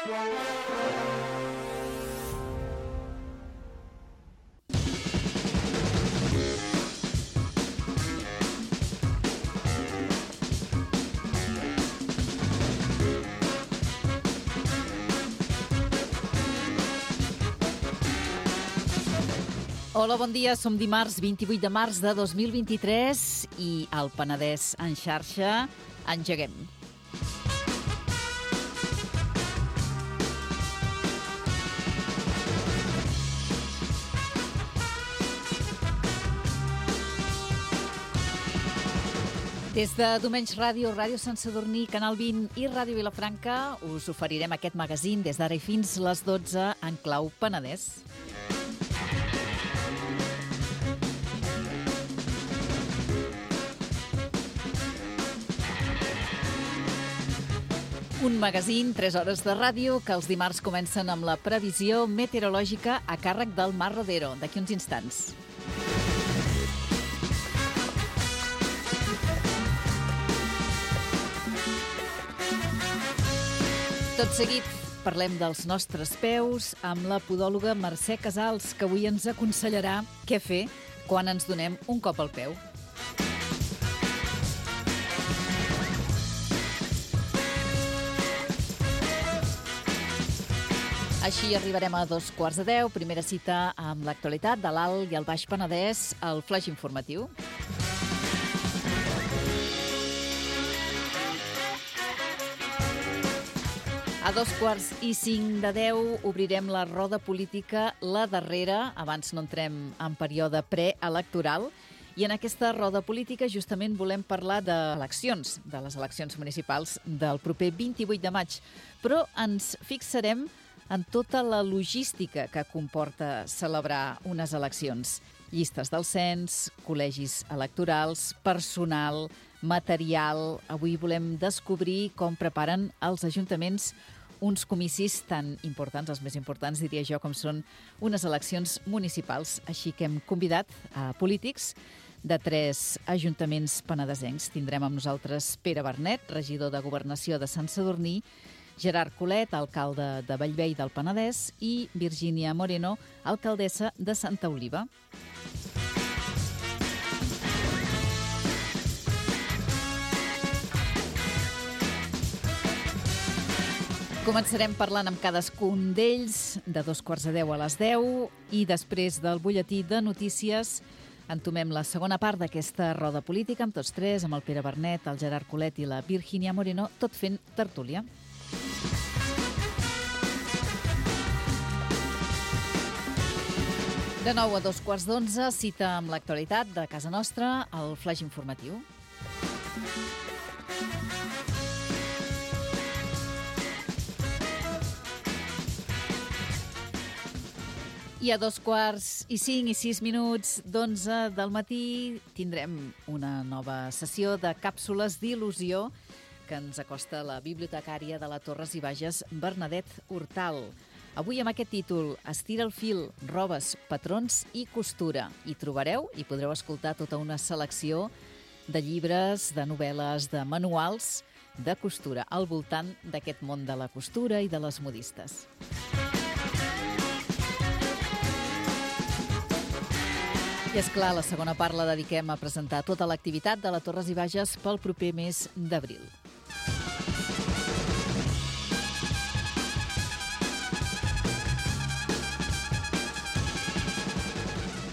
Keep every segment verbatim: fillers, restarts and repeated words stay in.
Hola, bon dia. Som dimarts vint-i-vuit de març de dos mil vint-i-tres i al Penedès en xarxa engeguem. Des de Domenys Ràdio, Ràdio Sant Sadurní, Canal vint i Ràdio Vilafranca us oferirem aquest magazín des d'ara i fins les dotze en clau Penedès. Un magazín, tres hores de ràdio, que els dimarts comencen amb la previsió meteorològica a càrrec del Mar Rodero, d'aquí uns instants. Tot seguit parlem dels nostres peus amb la podòloga Mercè Casals, que avui ens aconsellarà què fer quan ens donem un cop al peu. Així arribarem a dos quarts de deu, primera cita amb l'actualitat de l'Alt i el Baix Penedès, el flaix informatiu. A dos quarts i cinc de deu obrirem la roda política, la darrera, abans no entrem en període preelectoral, i en aquesta roda política justament volem parlar d'eleccions, de les eleccions municipals del proper vint-i-vuit de maig, però ens fixarem en tota la logística que comporta celebrar unes eleccions. Llistes del cens, col·legis electorals, personal, material. Avui volem descobrir com preparen els ajuntaments uns comicis tan importants, els més importants, diria jo, com són unes eleccions municipals. Així que hem convidat a polítics de tres ajuntaments penedesencs. Tindrem amb nosaltres Pere Bernet, regidor de Governació de Sant Sadurní, Gerard Colet, alcalde de Bellvei del Penedès, i Virgínia Moreno, alcaldessa de Santa Oliva. Començarem parlant amb cadascun d'ells de dos quarts de deu a les deu i després del butlletí de notícies entomem la segona part d'aquesta roda política amb tots tres, amb el Pere Bernet, el Gerard Colet i la Virgínia Moreno, tot fent tertúlia. De nou a dos quarts d'onze, cita amb l'actualitat de casa nostra, el flaix informatiu. I a dos quarts i cinc i sis minuts d'onze del matí tindrem una nova sessió de càpsules d'il·lusió que ens acosta la bibliotecària de la Torres i Bages, Bernadette Hortal. Avui amb aquest títol, Estira el fil, robes, patrons i costura. Hi trobareu i podreu escoltar tota una selecció de llibres, de novel·les, de manuals de costura al voltant d'aquest món de la costura i de les modistes. I és clar, la segona part la dediquem a presentar tota l'activitat de la Torres i Bages pel proper mes d'abril.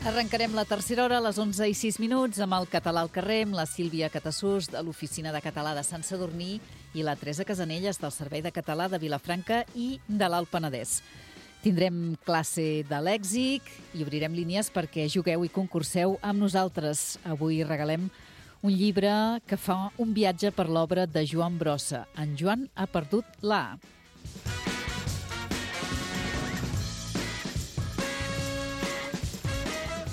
Arrencarem la tercera hora a les onze i sis minuts amb el Català al carrer, amb la Sílvia Catassús de l'Oficina de Català de Sant Sadurní i la Teresa Casanelles del Servei de Català de Vilafranca i de l'Alt Penedès. Tindrem classe de lèxic i obrirem línies perquè jugueu i concurseu amb nosaltres. Avui regalem un llibre que fa un viatge per l'obra de Joan Brossa. En Joan ha perdut la A.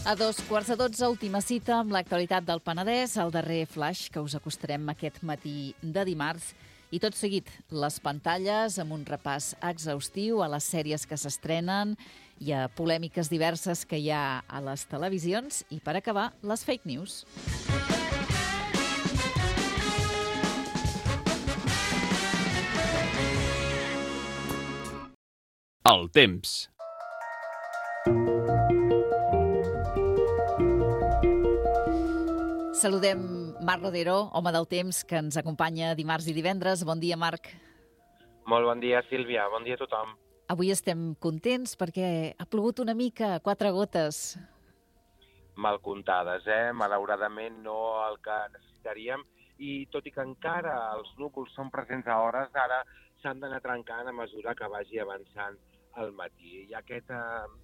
A dos quarts de dotze, última cita amb l'actualitat del Penedès, el darrer flash que us acostarem aquest matí de dimarts. I tot seguit, les pantalles amb un repàs exhaustiu a les sèries que s'estrenen i a polèmiques diverses que hi ha a les televisions. I per acabar, les fake news. El temps. Saludem Marc Rodero, home del temps, que ens acompanya dimarts i divendres. Bon dia, Marc. Molt bon dia, Sílvia. Bon dia a tothom. Avui estem contents perquè ha plogut una mica, quatre gotes. Mal comptades, eh? Malauradament no el que necessitaríem. I tot i que encara els núvols són presents a hores d'ara, s'han d'anar trencant a mesura que vagi avançant al matí. Hi ha aquesta,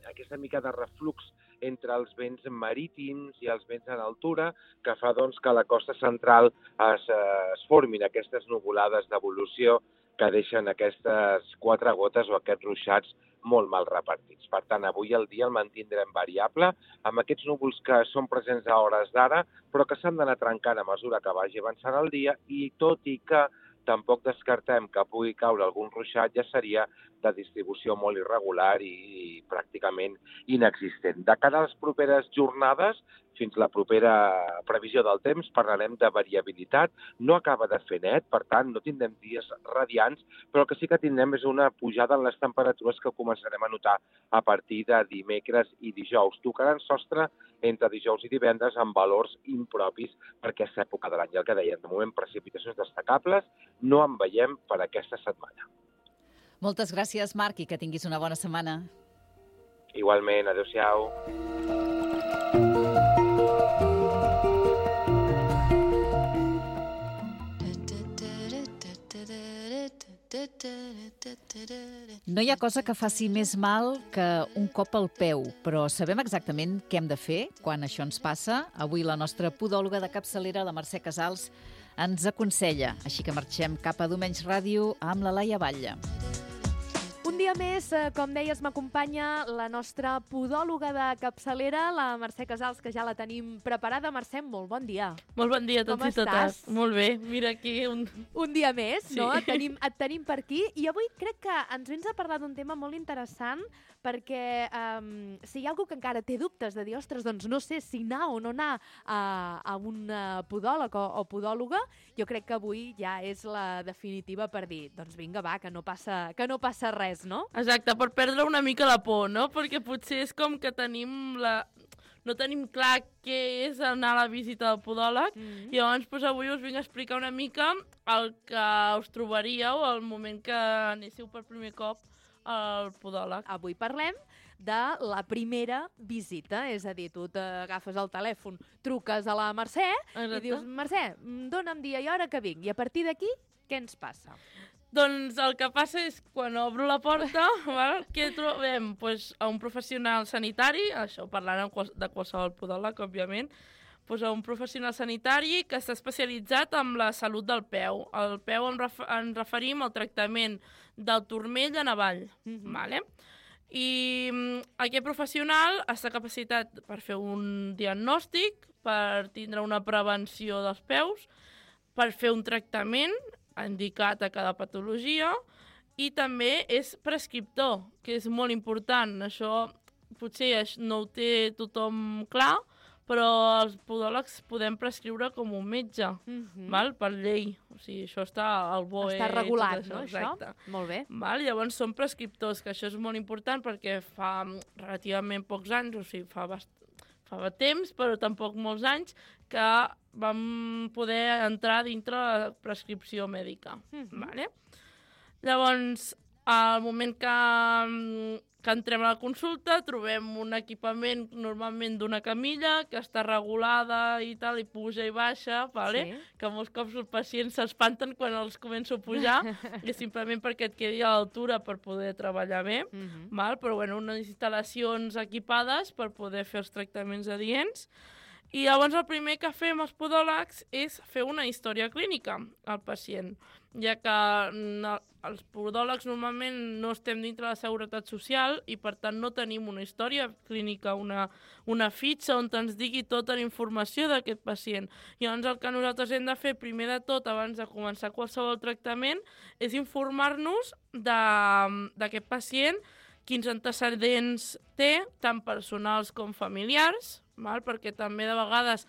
aquesta mica de reflux entre els vents marítims i els vents en altura que fa doncs, que a la costa central es, es formin aquestes nuvolades d'evolució que deixen aquestes quatre gotes o aquests ruixats molt mal repartits. Per tant, avui el dia el mantindrem variable, amb aquests núvols que són presents a hores d'ara, però que s'han d'anar trencant a mesura que vagi avançant el dia, i tot i que tampoc descartem que pugui caure algun ruixat, ja seria de distribució molt irregular i, i pràcticament inexistent. De cara a les properes jornades, fins la propera previsió del temps, parlarem de variabilitat. No acaba de fer net, per tant, no tindrem dies radiants, però el que sí que tindrem és una pujada en les temperatures que començarem a notar a partir de dimecres i dijous. Tocaran sostre entre dijous i divendres amb valors impropis per aquesta època de l'any. El que deien, de moment, precipitacions destacables no en veiem per aquesta setmana. Moltes gràcies, Marc, i que tinguis una bona setmana. Igualment, adéu-siau. No hi ha cosa que faci més mal que un cop al peu, però sabem exactament què hem de fer quan això ens passa. Avui la nostra podòloga de capçalera, la Mercè Casals, ens aconsella. Així que marxem cap a Domenys Ràdio amb la Laia Batlle. Un dia més, com deies, m'acompanya la nostra podòloga de capçalera, la Mercè Casals, que ja la tenim preparada. Mercè, molt bon dia. Molt bon dia a tots Com i totes. estàs? Molt bé, mira aquí un... Un dia més, Sí. no? Et tenim, et tenim per aquí. I avui crec que ens vens a parlar d'un tema molt interessant, perquè um, si hi ha algú que encara té dubtes de dir, ostres, doncs no sé si anar o no anar a, a un podòleg o, o podòloga, jo crec que avui ja és la definitiva per dir, doncs vinga, va, que no passa, que no passa res, no? Exacte, per perdre una mica la por, no? Perquè potser és com que tenim la... no tenim clar què és anar a la visita del podòleg, Mm-hmm. i llavors doncs, avui us vinc a explicar una mica el que us trobaríeu al moment que anéssiu per primer cop al podòleg. Avui parlem de la primera visita, és a dir, tu t'agafes el telèfon, truques a la Mercè Exacte. i dius, Mercè, dona'm dia i hora que vinc. I a partir d'aquí, què ens passa? Doncs el que passa és, quan obro la porta, val, què trobem? Pues, a un professional sanitari, això parlant de qualsevol podòleg, òbviament, pues, a un professional sanitari que està especialitzat en la salut del peu. El peu en, ref en referim al tractament del turmell en avall. Mm-hmm. Vale? I mm, aquest professional està capacitat per fer un diagnòstic, per tindre una prevenció dels peus, per fer un tractament indicat a cada patologia, i també és prescriptor, que és molt important. Això potser no ho té tothom clar, però els podòlegs podem prescriure com un metge, Mm-hmm. val? Per llei. O sigui, això està al B O E. Està regulat, tot no, exacte. això? Molt bé. Val? Llavors són prescriptors, que això és molt important perquè fa relativament pocs anys, o sigui, fa, bast... fa temps, però tampoc molts anys, que vam poder entrar dintre la prescripció mèdica. Mm-hmm. Vale? Llavors, al moment que, que entrem a la consulta, trobem un equipament normalment d'una camilla que està regulada i tal, i puja i baixa, vale? Sí. Que molts cops els pacients s'espanten quan els començo a pujar, i simplement perquè et quedi a l'altura per poder treballar bé, Mm-hmm. val? Però bueno, unes instal·lacions equipades per poder fer els tractaments adients. I llavors el primer que fem els podòlegs és fer una història clínica al pacient, ja que no, els podòlegs normalment no estem dintre de la Seguretat Social i per tant no tenim una història clínica, una, una fitxa on ens digui tota la informació d'aquest pacient. I llavors el que nosaltres hem de fer primer de tot, abans de començar qualsevol tractament, és informar-nos d'aquest pacient, quins antecedents té, tant personals com familiars, val? Perquè també de vegades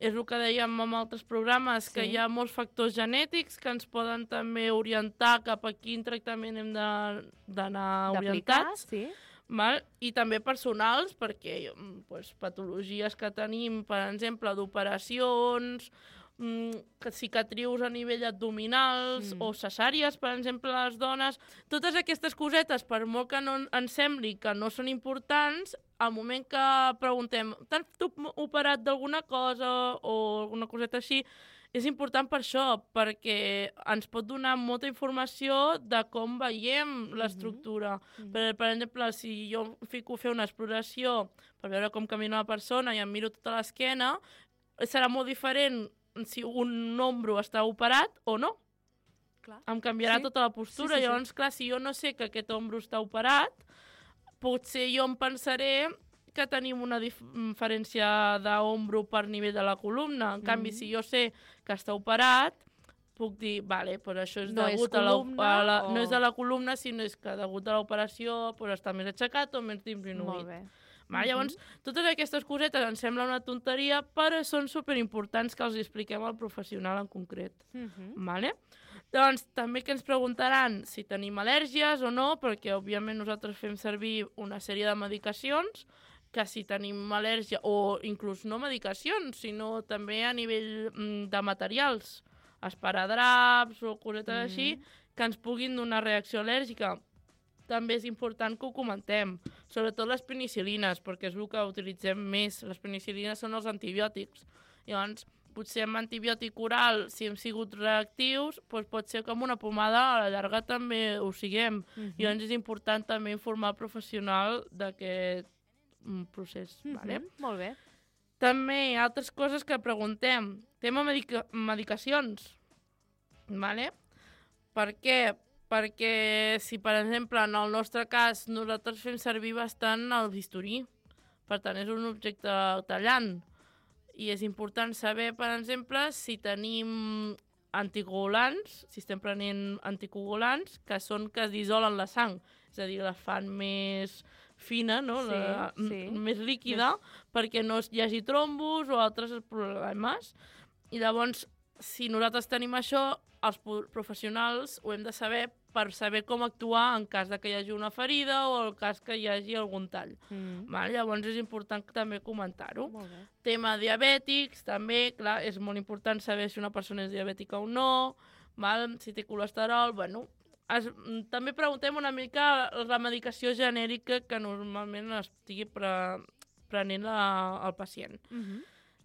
és el que dèiem en altres programes, Sí. que hi ha molts factors genètics que ens poden també orientar cap a quin tractament hem de- d'anar D'aplicar, orientats. sí. Val? I també personals, perquè mm, pues, patologies que tenim, per exemple, d'operacions, mm, que cicatrius a nivell abdominals Mm. o cesàries, per exemple, a les dones. Totes aquestes cosetes, per molt que no ens sembli que no són importants, al moment que preguntem t'has tu operat d'alguna cosa o alguna coseta així, és important per això, perquè ens pot donar molta informació de com veiem l'estructura. Mhm. Per, per exemple, si jo em fico a fer una exploració per veure com camina la persona i em miro tota l'esquena, serà molt diferent si un ombro està operat o no. Clar. Em canviarà Sí. tota la postura. Sí, sí, sí. Llavors, clar, si jo no sé que aquest ombro està operat, potser jo em pensaré que tenim una dif diferència d'ombro per nivell de la columna. En canvi, Mhm. si jo sé que està operat, puc dir, vale, però això és No és degut a la, columna a la... o- No és de la columna, sinó és que degut a l'operació pues, està més aixecat o més disminuït. Molt bé. Val? Mhm. Llavors, totes aquestes cosetes ens sembla una tonteria, però són superimportants que els expliquem al professional en concret. Mhm. Vale? Doncs també que ens preguntaran si tenim al·lèrgies o no, perquè òbviament nosaltres fem servir una sèrie de medicacions, que si tenim al·lèrgia, o inclús no medicacions, sinó també a nivell mm, de materials, esparadraps o cosetes Mhm. així, que ens puguin donar reacció al·lèrgica. També és important que ho comentem, sobretot les penicil·lines, perquè és el que utilitzem més. Les penicil·lines són els antibiòtics. Llavors, potser amb antibiòtic oral, si hem sigut reactius, doncs pot ser que amb una pomada a la llarga també ho siguem. Mhm. Llavors és important també informar el professional d'aquest mm, procés. Mhm. Vale? Molt bé. També altres coses que preguntem. Tema medica medicacions. Vale? Per què? Perquè si, per exemple, en el nostre cas, nosaltres fem servir bastant el bisturí. Per tant, és un objecte tallant. I és important saber, per exemple, si tenim anticoagulants, si estem prenent anticoagulants, que són que es dissolen la sang. És a dir, la fan més fina, no? Sí, la, sí. més líquida, perquè no hi hagi trombos o altres problemes. I llavors, si nosaltres tenim això, els professionals ho hem de saber per saber com actuar en cas de que hi hagi una ferida o en cas que hi hagi algun tall. Mm. Val? Llavors és important també comentar-ho. Molt bé. Tema diabètics, també, clar, és molt important saber si una persona és diabètica o no, val? Si té colesterol, bueno... Es, també preguntem una mica la medicació genèrica que normalment estigui pre, prenent la, el pacient. Mhm.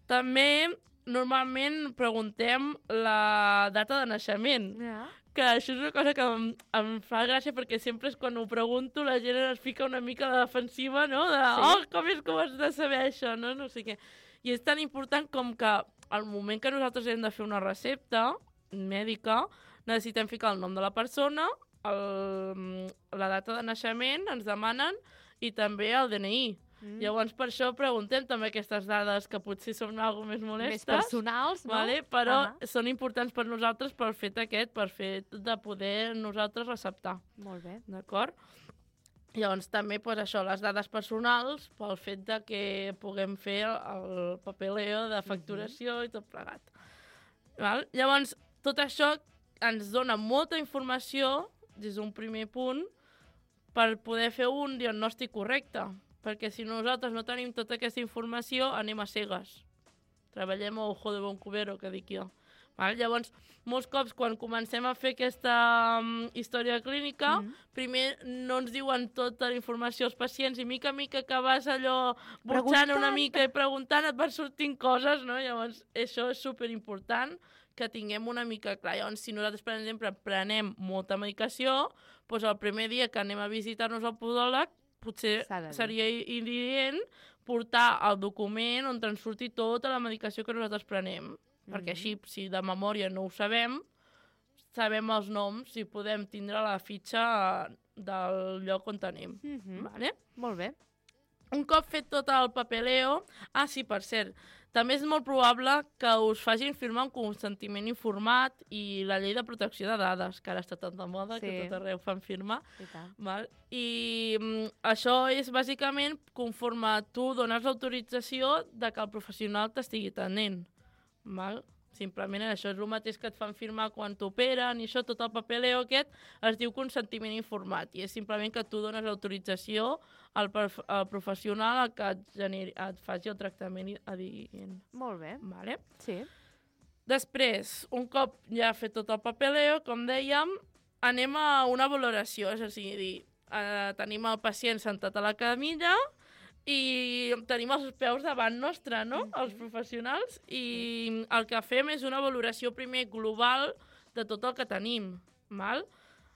També, normalment, preguntem la data de naixement. Ja. Que això és una cosa que em, em fa gràcia perquè sempre és quan ho pregunto la gent es fica una mica de defensiva, no? De, Sí. oh, com és que ho has de saber això, no? No sé què. I és tan important com que al moment que nosaltres hem de fer una recepta mèdica, necessitem ficar el nom de la persona, el, la data de naixement, ens demanen, i també el D N I. Mm. Llavors, per això preguntem també aquestes dades que potser són algo més molestes. Més personals, no? Vale? Però Ahà. són importants per nosaltres pel fet aquest, per fet de poder nosaltres receptar. Molt bé. D'acord? Llavors també pues, això, les dades personals pel fet de que puguem fer el papeleo de facturació i tot plegat. Val? Llavors, tot això ens dona molta informació des d'un primer punt per poder fer un diagnòstic correcte. Perquè si nosaltres no tenim tota aquesta informació, anem a cegues. Treballem a ojo de bon cubero, que dic jo. Val? Llavors, molts cops, quan comencem a fer aquesta um, història clínica, Mhm. primer no ens diuen tota la informació als pacients i mica a mica que vas allò burxant Preguntant. una mica i preguntant et van sortint coses, no? Llavors, això és superimportant que tinguem una mica clar. Llavors, si nosaltres, per exemple, prenem molta medicació, doncs el primer dia que anem a visitar-nos al podòleg, potser S'ha de dir. seria idient portar el document on ens surti tota la medicació que nosaltres prenem. Mhm. Perquè així, si de memòria no ho sabem, sabem els noms i podem tindre la fitxa del lloc on tenim. Mhm. Vale? Molt bé. Un cop fet tot el papeleo... Ah, sí, per cert, també és molt probable que us facin firmar un consentiment informat i la llei de protecció de dades, que ara està tan de moda Sí. que tot arreu fan firmar. I tant. Val? I mm, això és bàsicament conforme tu dones l'autorització de que el professional t'estigui atenent. val? Simplement això és el mateix que et fan firmar quan t'operen i això, tot el papeleo aquest es diu consentiment informat i és simplement que tu dones autorització al, al professional a que et, generi, et faci el tractament adient. Molt bé. Vale? Sí. Després, un cop ja fet tot el papeleo, com dèiem, anem a una valoració, és a dir, eh, tenim el pacient sentat a la camilla i tenim els peus davant nostre, no?, els professionals, i el que fem és una valoració primer global de tot el que tenim, val?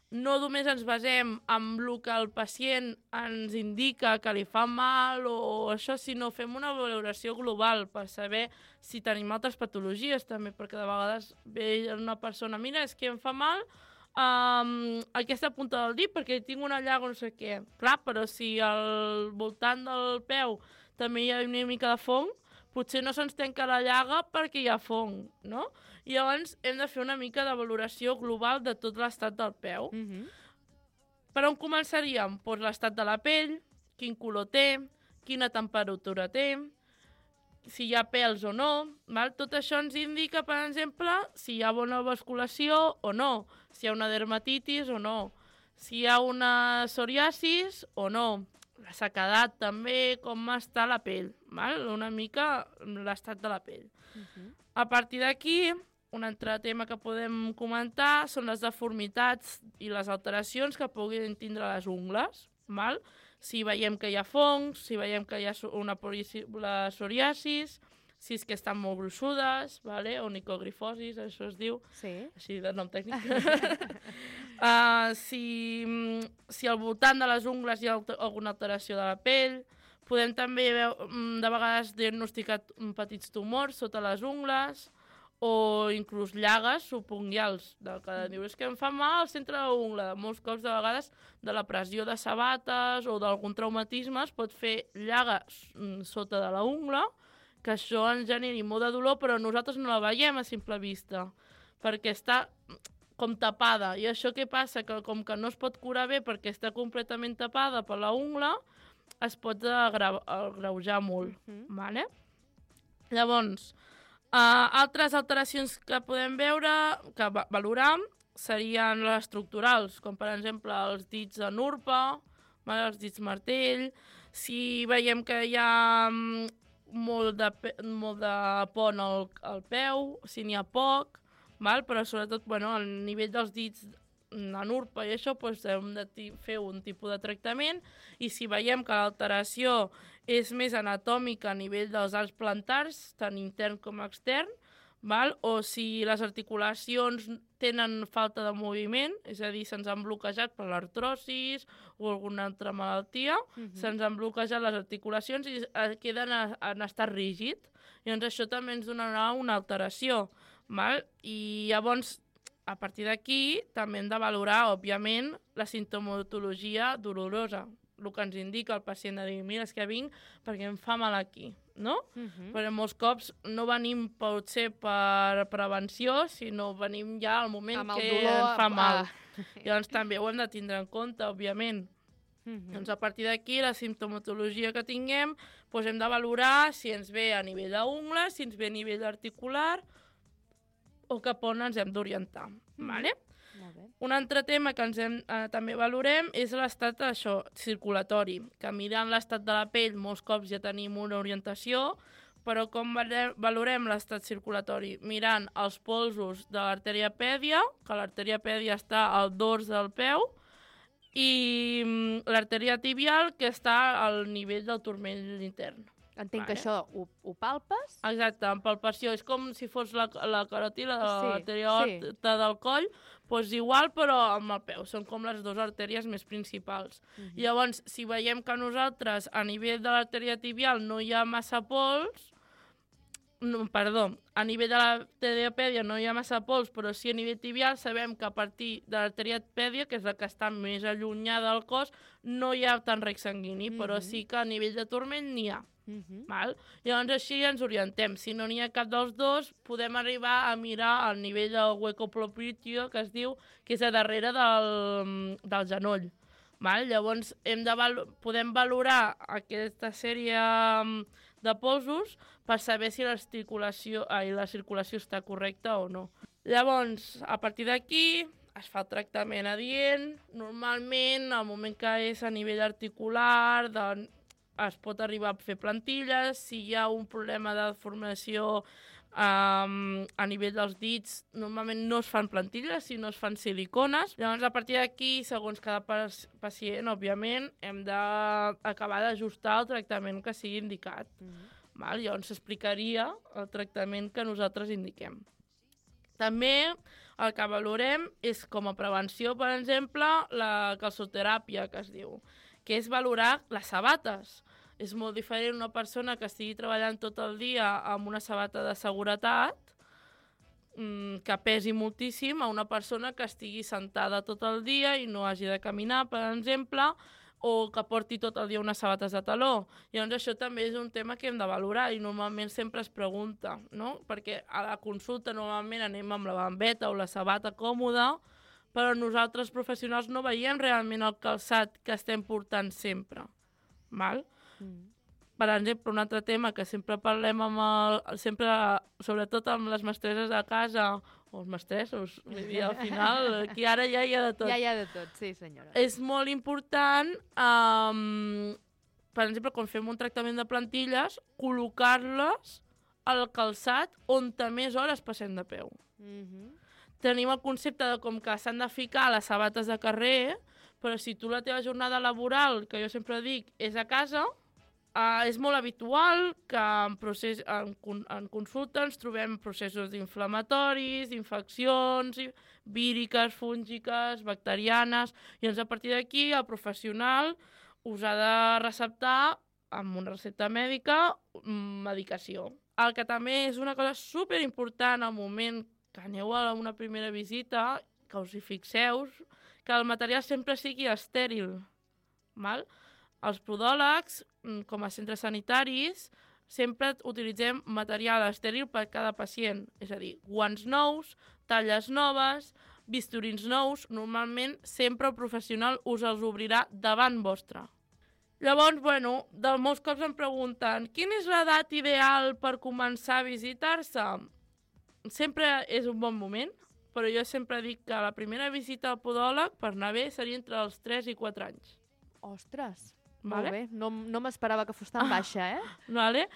No només ens basem en el que el pacient ens indica que li fa mal o això, sinó fem una valoració global per saber si tenim altres patologies també, perquè de vegades ve una persona, mira, és que em fa mal Um, aquesta punta del dit perquè tinc una llaga o no sé què. Clar, però si al voltant del peu també hi ha una mica de fong, potser no se'ns tanca la llaga perquè hi ha fong, no? I llavors hem de fer una mica de valoració global de tot l'estat del peu. Mm-hmm. Per on començaríem? Pues l'estat de la pell, quin color té, quina temperatura té, si hi ha pèls o no, val? Tot això ens indica, per exemple, si hi ha bona vasculació o no, si hi ha una dermatitis o no, si hi ha una psoriasis o no, la sequedat també, com està la pell, val? Una mica l'estat de la pell. Uh-huh. A partir d'aquí, un altre tema que podem comentar són les deformitats i les alteracions que puguin tindre les ungles, val? Si veiem que hi ha fongs, si veiem que hi ha una possible psoriasis, si és que estan molt gruixudes, vale? O nicogrifosis, això es diu, sí. Així de nom tècnic. uh, si, si al voltant de les ungles hi ha alguna alteració de la pell, podem també de vegades diagnosticar petits tumors sota les ungles, o inclús llagues subunguials, del que diu, és que em fa mal al centre de l'ungla. Molts cops, de vegades, de la pressió de sabates o d'algun traumatisme es pot fer llaga sota de la ungla, que això ens generi molt de dolor, però nosaltres no la veiem a simple vista, perquè està com tapada. I això què passa? Que com que no es pot curar bé perquè està completament tapada per la ungla, es pot agreujar molt. Uh-huh. Vale? Llavors, Uh, altres alteracions que podem veure, que va valorar, serien les estructurals, com per exemple els dits en urpa, vale, els dits martell, si veiem que hi ha um, molt, de, molt de pont al, al peu, si n'hi ha poc, val? Però sobretot bueno, al nivell dels dits en urpa i això, doncs, hem de fer un tipus de tractament, i si veiem que l'alteració és més anatòmica a nivell dels arcs plantars, tant intern com extern, val? O si les articulacions tenen falta de moviment, és a dir, se'ns han bloquejat per l'artrosis o alguna altra malaltia, uh-huh. se'ns han bloquejat les articulacions i queden en estat rígid. Llavors això també ens donarà una alteració. Val? I llavors, a partir d'aquí, també hem de valorar, òbviament, la sintomatologia dolorosa, el que ens indica el pacient de dir, mira, és que vinc perquè em fa mal aquí, no? Uh-huh. Perquè molts cops no venim potser per prevenció, sinó venim ja al moment que dolor, ens fa mal. Ah. Llavors també ho hem de tindre en compte, òbviament. Uh-huh. Doncs a partir d'aquí, la sintomatologia que tinguem, doncs hem de valorar si ens ve a nivell d'ungla, si ens ve a nivell articular, o cap on ens hem d'orientar. Mm-hmm. Vale? Molt bé. Un altre tema que ens hem, eh, també valorem és l'estat això, circulatori, que mirant l'estat de la pell molts cops ja tenim una orientació, però com valorem l'estat circulatori? Mirant els polsos de l'artèria pèdia, que l'artèria pèdia està al dors del peu, i l'artèria tibial, que està al nivell del turmell intern. Entenc vale. Que això ho, ho palpes? Exacte, en palpació. És com si fos la, la caròtida de sí, l'artèria sí. del coll, doncs igual, però amb el peu. Són com les dues artèries més principals. Uh-huh. Llavors, si veiem que nosaltres, a nivell de l'artèria tibial, no hi ha massa pols, no, perdó, a nivell de l'artèria pèdia no hi ha massa pols, però sí a nivell tibial sabem que a partir de l'artèria pèdia, que és la que està més allunyada del cos, no hi ha tant rec sanguini, uh-huh. però sí que a nivell de turmell n'hi ha. Uh-huh. Val? Llavors així ens orientem. Si no n'hi ha cap dels dos, podem arribar a mirar el nivell del hueco propitio, que es diu, que és a darrere del, del genoll. Val? Llavors hem de val podem valorar aquesta sèrie de polsos per saber si l'articulació, ai, la circulació està correcta o no. Llavors, a partir d'aquí es fa el tractament adient. Normalment, al moment que és a nivell articular, doncs, es pot arribar a fer plantilles. Si hi ha un problema de deformació um, a nivell dels dits, normalment no es fan plantilles, sinó es fan silicones. Llavors, a partir d'aquí, segons cada pacient, òbviament, hem d'acabar d'ajustar el tractament que sigui indicat. Mm-hmm. Val? Llavors s'explicaria el tractament que nosaltres indiquem. També el que valorem és, com a prevenció, per exemple, la calçoteràpia, que es diu, que és valorar les sabates. És molt diferent una persona que estigui treballant tot el dia amb una sabata de seguretat, que pesi moltíssim, a una persona que estigui sentada tot el dia i no hagi de caminar, per exemple, o que porti tot el dia unes sabates de taló. Llavors això també és un tema que hem de valorar i normalment sempre es pregunta, no? Perquè a la consulta normalment anem amb la bambeta o la sabata còmoda, però nosaltres professionals no veiem realment el calçat que estem portant sempre. Val? Mm. Per exemple, un altre tema que sempre parlem amb el, sempre, sobretot amb les mestresses de casa, o els mestressos, vull dir, al final, aquí ara ja hi ha de tot. Ja hi ha de tot, sí senyora. És molt important, um, per exemple, quan fem un tractament de plantilles, col·locar-les al calçat on més hores passem de peu. Mm-hmm. Tenim el concepte de com que s'han de ficar les sabates de carrer, però si tu la teva jornada laboral, que jo sempre dic, és a casa, uh, és molt habitual que en, procés, en, en consulta ens trobem processos inflamatoris, infeccions, víriques, fúngiques, bacterianes, i doncs a partir d'aquí el professional us ha de receptar amb una recepta mèdica medicació. El que també és una cosa superimportant al moment que aneu a una primera visita, que us hi fixeu, que el material sempre sigui estèril. Val? Els podòlegs, com a centres sanitaris, sempre utilitzem material estèril per cada pacient. És a dir, guants nous, talles noves, bisturins nous. Normalment, sempre el professional us els obrirà davant vostre. Llavors, bueno, de molts cops em pregunten quina és l'edat ideal per començar a visitar-se? Sempre és un bon moment, però jo sempre dic que la primera visita al podòleg, per anar bé, seria entre els tres i quatre anys. Ostres, vale? Molt bé. No, no m'esperava que fos tan baixa, eh? Vale.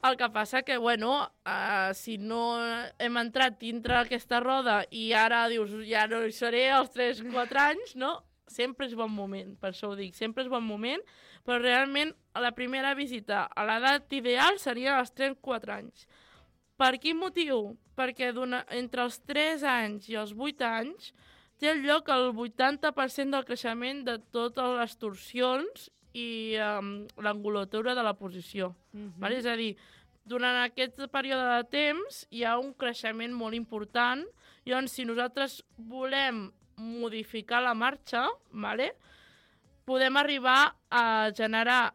El que passa que, bueno, uh, si no hem entrat dintre aquesta roda i ara dius, ja no hi seré als tres o quatre anys, no? Sempre és bon moment, per això ho dic, sempre és bon moment, però realment la primera visita a l'edat ideal seria als tres o quatre anys. Per quin motiu? Perquè entre els tres anys i els vuit anys té lloc el vuitanta per cent del creixement de totes les torsions i um, l'angulatura de la posició. Mm-hmm. Vale? És a dir, durant aquest període de temps hi ha un creixement molt important. Llavors, si nosaltres volem modificar la marxa, vale? Podem arribar a generar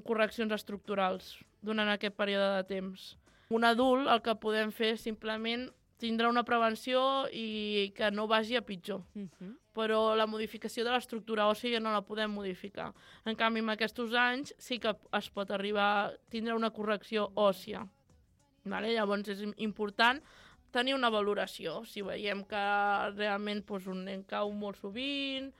correccions estructurals durant aquest període de temps. Un adult el que podem fer és simplement tindre una prevenció i que no vagi a pitjor. Uh-huh. Però la modificació de l'estructura òssia no la podem modificar. En canvi, en aquests anys sí que es pot arribar a tindre una correcció òssia. Vale? Llavors és important tenir una valoració. Si veiem que realment doncs, un nen cau molt sovint,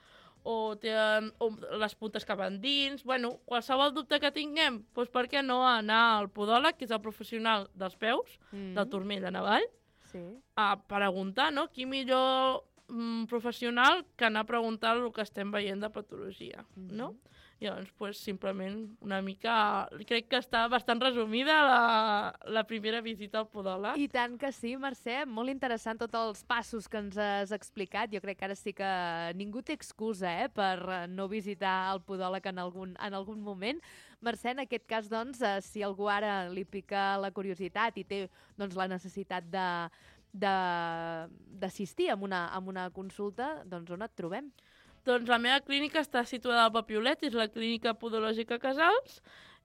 o té o les puntes cap endins, bueno, qualsevol dubte que tinguem, doncs per què no anar al podòleg, que és el professional dels peus, mm. del turmell de Navall, sí. a preguntar, no? Qui millor mm, professional que anar a preguntar el que estem veient de patologia, mm. no? I llavors, pues, simplement, una mica... Crec que està bastant resumida la, la primera visita al podòleg. I tant que sí, Mercè. Molt interessant tots els passos que ens has explicat. Jo crec que ara sí que ningú té excusa eh, per no visitar el podòleg en algun, en algun moment. Mercè, en aquest cas, doncs, si algú ara li pica la curiositat i té doncs, la necessitat de d'assistir a una, a una consulta, doncs on et trobem? Doncs la meva clínica està situada al Papiolet, és la Clínica Podològica Casals,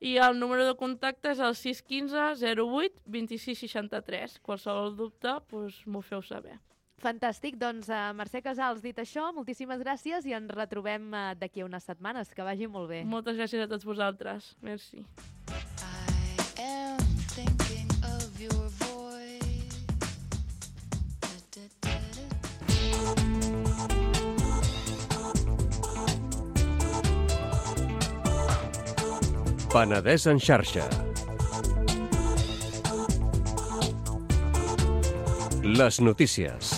i el número de contacte és el sis un cinc zero vuit dos sis sis tres. Qualsevol dubte, doncs m'ho feu saber. Fantàstic, doncs uh, Mercè Casals, dit això, moltíssimes gràcies i ens retrobem uh, d'aquí a unes setmanes. Que vagi molt bé. Moltes gràcies a tots vosaltres. Merci. I... Penedès en xarxa. Les notícies.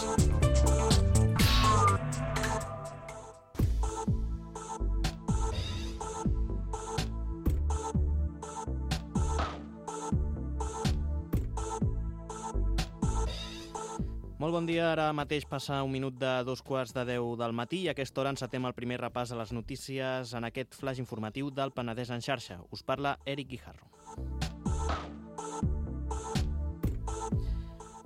Molt bon dia, ara mateix passa un minut de dos quarts de deu del matí i a aquesta hora encetem el primer repàs a les notícies en aquest flash informatiu del Penedès en xarxa. Us parla Eric Guijarro.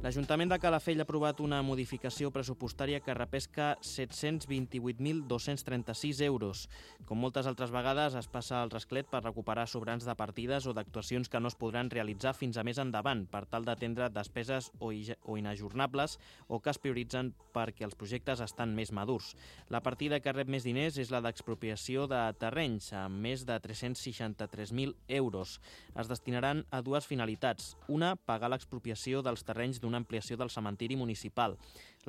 L'Ajuntament de Calafell ha aprovat una modificació pressupostària que repesca set-cents vint-i-vuit mil dos-cents trenta-sis euros. Com moltes altres vegades, es passa al rasclet per recuperar sobrants de partides o d'actuacions que no es podran realitzar fins a més endavant per tal d'atendre despeses o inajornables o que es prioritzen perquè els projectes estan més madurs. La partida que rep més diners és la d'expropiació de terrenys, amb més de tres-cents seixanta-tres mil euros. Es destinaran a dues finalitats. Una, pagar l'expropiació dels terrenys d'un una ampliació del cementiri municipal.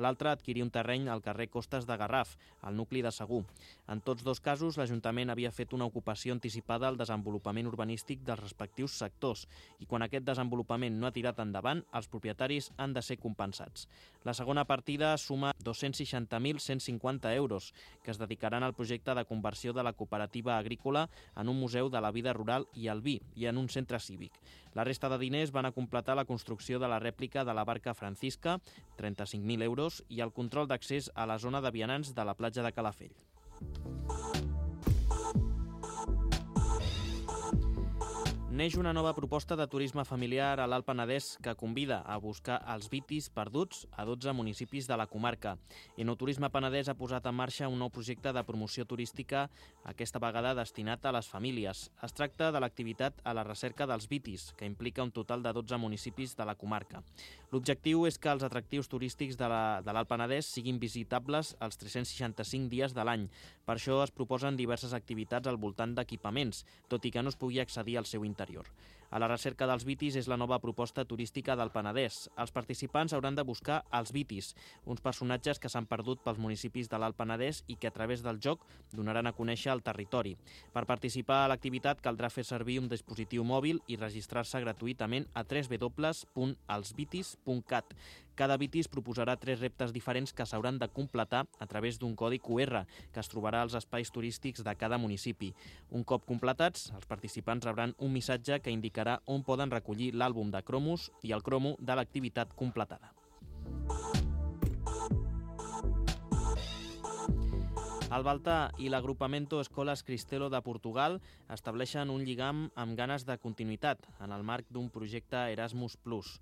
L'altra, adquirir un terreny al carrer Costes de Garraf, al nucli de Segur. En tots dos casos, l'Ajuntament havia fet una ocupació anticipada al desenvolupament urbanístic dels respectius sectors i quan aquest desenvolupament no ha tirat endavant, els propietaris han de ser compensats. La segona partida suma dos-cents seixanta mil cent cinquanta euros, que es dedicaran al projecte de conversió de la cooperativa agrícola en un museu de la vida rural i el vi i en un centre cívic. La resta de diners van a completar la construcció de la rèplica de la barca Francisca, trenta-cinc mil euros, i el control d'accés a la zona de vianants de la platja de Calafell. Neix una nova proposta de turisme familiar a l'Alt Penedès que convida a buscar els vitis perduts a dotze municipis de la comarca. Enoturisme Penedès ha posat en marxa un nou projecte de promoció turística, aquesta vegada destinat a les famílies. Es tracta de l'activitat a la recerca dels vitis, que implica un total de dotze municipis de la comarca. L'objectiu és que els atractius turístics de l'Alt Penedès siguin visitables els tres-cents seixanta-cinc dies de l'any. Per això es proposen diverses activitats al voltant d'equipaments, tot i que no es pugui accedir al seu interior. A la recerca dels vitis és la nova proposta turística del Penedès. Els participants hauran de buscar els vitis, uns personatges que s'han perdut pels municipis de l'Alt Penedès i que a través del joc donaran a conèixer el territori. Per participar a l'activitat caldrà fer servir un dispositiu mòbil i registrar-se gratuïtament a w w w punt els vitis punt cat. Cada vitis proposarà tres reptes diferents que s'hauran de completar a través d'un codi Q R que es trobarà als espais turístics de cada municipi. Un cop completats, els participants rebran un missatge que indicarà on poden recollir l'àlbum de cromos i el cromo de l'activitat completada. El Baltar i l'agrupamento Escoles Cristelo de Portugal estableixen un lligam amb ganes de continuïtat en el marc d'un projecte Erasmus plus.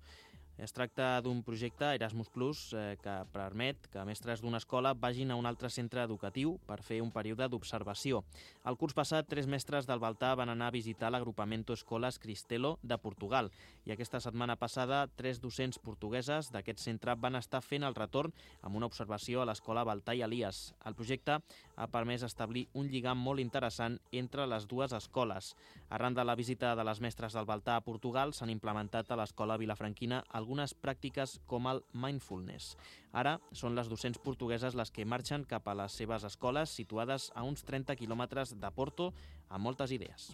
Es tracta d'un projecte Erasmus plus eh, que permet que mestres d'una escola vagin a un altre centre educatiu per fer un període d'observació. El curs passat, tres mestres del Baltar van anar a visitar l'agrupamento Escoles Cristelo de Portugal i aquesta setmana passada, tres docents portugueses d'aquest centre van estar fent el retorn amb una observació a l'escola Baltar i Elias. El projecte ha permès establir un lligam molt interessant entre les dues escoles. Arran de la visita de les mestres del Baltar a Portugal, s'han implementat a l'escola vilafranquina algunes pràctiques com el mindfulness. Ara són les docents portugueses les que marxen cap a les seves escoles situades a uns trenta quilòmetres de Porto amb moltes idees.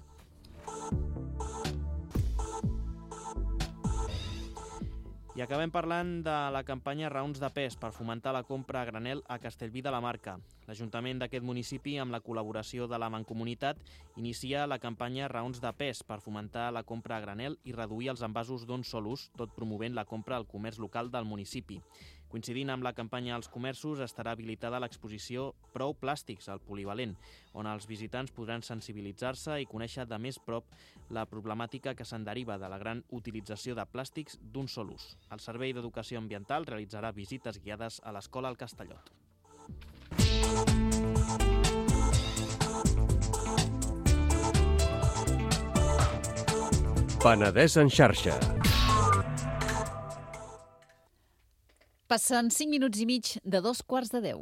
I acabem parlant de la campanya Raons de Pes per fomentar la compra a granel a Castellví de la Marca. L'Ajuntament d'aquest municipi, amb la col·laboració de la Mancomunitat, inicia la campanya Raons de Pes per fomentar la compra a granel i reduir els envasos d'un sol ús, tot promovent la compra al comerç local del municipi. Coincidint amb la campanya als comerços, estarà habilitada l'exposició Prou Plàstics, al Polivalent, on els visitants podran sensibilitzar-se i conèixer de més prop la problemàtica que se'n deriva de la gran utilització de plàstics d'un sol ús. El Servei d'Educació Ambiental realitzarà visites guiades a l'Escola al Castellot. Penedès en xarxa. Passen cinc minuts i mig de dos quarts de deu.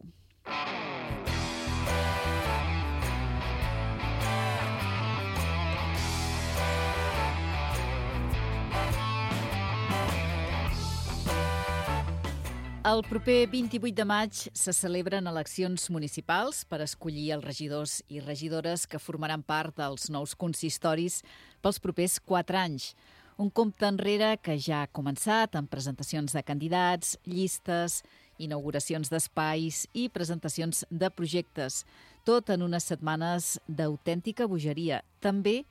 El proper vint-i-vuit de maig se celebren eleccions municipals per escollir els regidors i regidores que formaran part dels nous consistoris pels propers quatre anys. Un compte enrere que ja ha començat amb presentacions de candidats, llistes, inauguracions d'espais i presentacions de projectes, tot en unes setmanes d'autèntica bogeria, també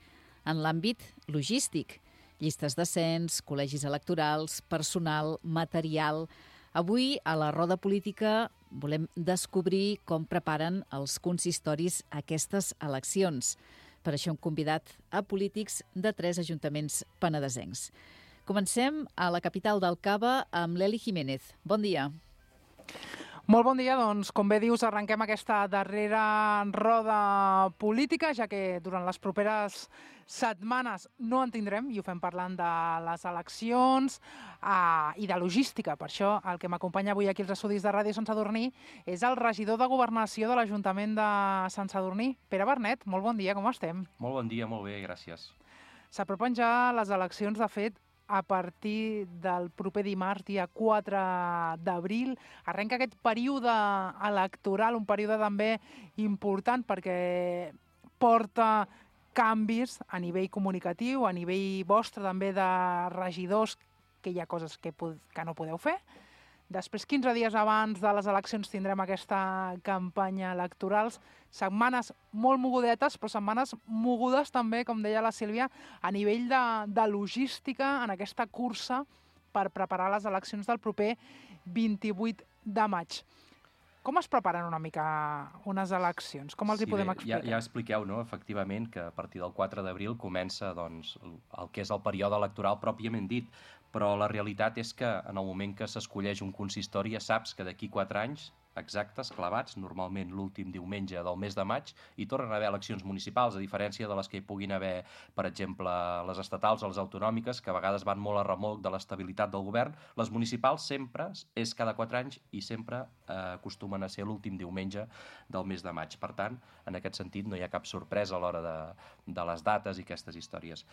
en l'àmbit logístic. Llistes de cens, col·legis electorals, personal, material. Avui, a la Roda Política, volem descobrir com preparen els consistoris aquestes eleccions. Per això hem convidat a polítics de tres ajuntaments penedesencs. Comencem a la capital del Cava amb l'Eli Jiménez. Bon dia. Molt bon dia, doncs, com bé dius, arrenquem aquesta darrera roda política, ja que durant les properes setmanes no en tindrem, i ho fem parlant de les eleccions uh, i de logística. Per això el que m'acompanya avui aquí als estudis de Ràdio Sant Sadurní és el regidor de Governació de l'Ajuntament de Sant Sadurní, Pere Bernet. Molt bon dia, com estem? Molt bon dia, molt bé, gràcies. S'apropen ja les eleccions, de fet, a partir del proper dimarts, dia quatre d'abril. Arrenca aquest període electoral, un període també important perquè porta canvis a nivell comunicatiu, a nivell vostre també de regidors, que hi ha coses que, que no podeu fer. Després, quinze dies abans de les eleccions, tindrem aquesta campanya electoral. Setmanes molt mogudetes, però setmanes mogudes també, com deia la Sílvia, a nivell de, de logística en aquesta cursa per preparar les eleccions del proper vint-i-vuit de maig. Com es preparen una mica unes eleccions? Com els sí, hi podem bé, explicar? Ja, ja expliqueu, no?, efectivament, que a partir del quatre d'abril comença doncs, el que és el període electoral pròpiament dit, però la realitat és que en el moment que s'escolleix un consistori ja saps que d'aquí quatre anys exactes, clavats, normalment l'últim diumenge del mes de maig, hi tornen a haver eleccions municipals, a diferència de les que hi puguin haver, per exemple, les estatals o les autonòmiques, que a vegades van molt a remolc de l'estabilitat del govern. Les municipals sempre és cada quatre anys i sempre eh, acostumen a ser l'últim diumenge del mes de maig. Per tant, en aquest sentit, no hi ha cap sorpresa a l'hora de, de les dates i aquestes històries.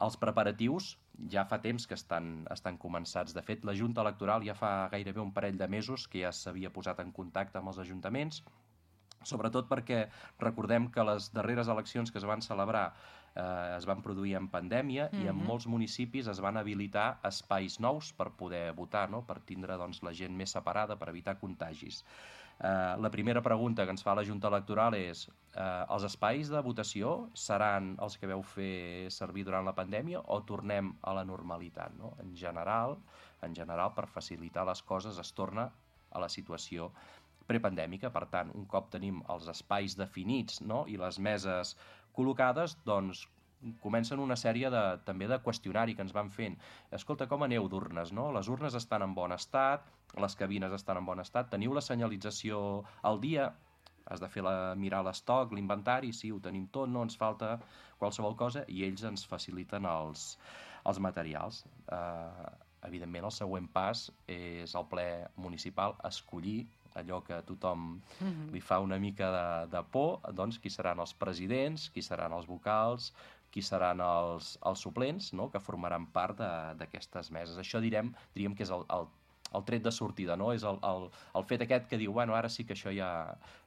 Els preparatius ja fa temps que estan, estan començats. De fet, la Junta Electoral ja fa gairebé un parell de mesos que ja s'havia posat en contacte amb els ajuntaments, sobretot perquè recordem que les darreres eleccions que es van celebrar eh, es van produir en pandèmia mm-hmm. i en molts municipis es van habilitar espais nous per poder votar, no?, per tindre doncs, la gent més separada, per evitar contagis. Uh, la primera pregunta que ens fa la Junta Electoral és uh, els espais de votació seran els que veu fer servir durant la pandèmia o tornem a la normalitat, no? En general, en general, per facilitar les coses es torna a la situació prepandèmica. Per tant, un cop tenim els espais definits, no?, i les meses col·locades, doncs comencen una sèrie de, també de qüestionari que ens van fent. Escolta, com aneu d'urnes, no? Les urnes estan en bon estat, les cabines estan en bon estat, teniu la senyalització al dia, has de fer la, mirar l'estoc, l'inventari, sí, ho tenim tot, no ens falta qualsevol cosa, i ells ens faciliten els, els materials. Eh, evidentment, el següent pas és el ple municipal escollir allò que a tothom mm-hmm. li fa una mica de, de por, doncs qui seran els presidents, qui seran els vocals, qui seran els, els suplents, no?, que formaran part d'aquestes meses. Això direm, diríem que és el, el, el tret de sortida, no? És el, el, el fet aquest que diu, bueno, ara sí que això ja,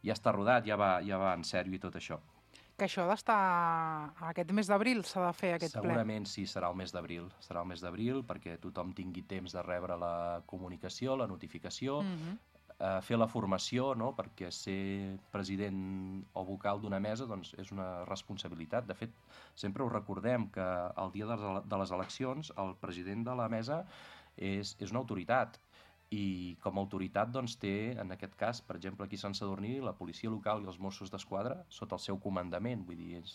ja està rodat, ja va, ja va en sèrio i tot això. Que això ha d'estar aquest mes d'abril, s'ha de fer aquest ple. Segurament sí, serà el mes d'abril. Serà el mes d'abril perquè tothom tingui temps de rebre la comunicació, la notificació, mm-hmm. eh, fer la formació, no?, perquè ser president o vocal d'una mesa doncs, és una responsabilitat. De fet, sempre ho recordem que el dia de les eleccions el president de la mesa és, és una autoritat i com a autoritat doncs, té, en aquest cas, per exemple, aquí a Sant Sadurní, la policia local i els Mossos d'Esquadra sota el seu comandament, vull dir, és,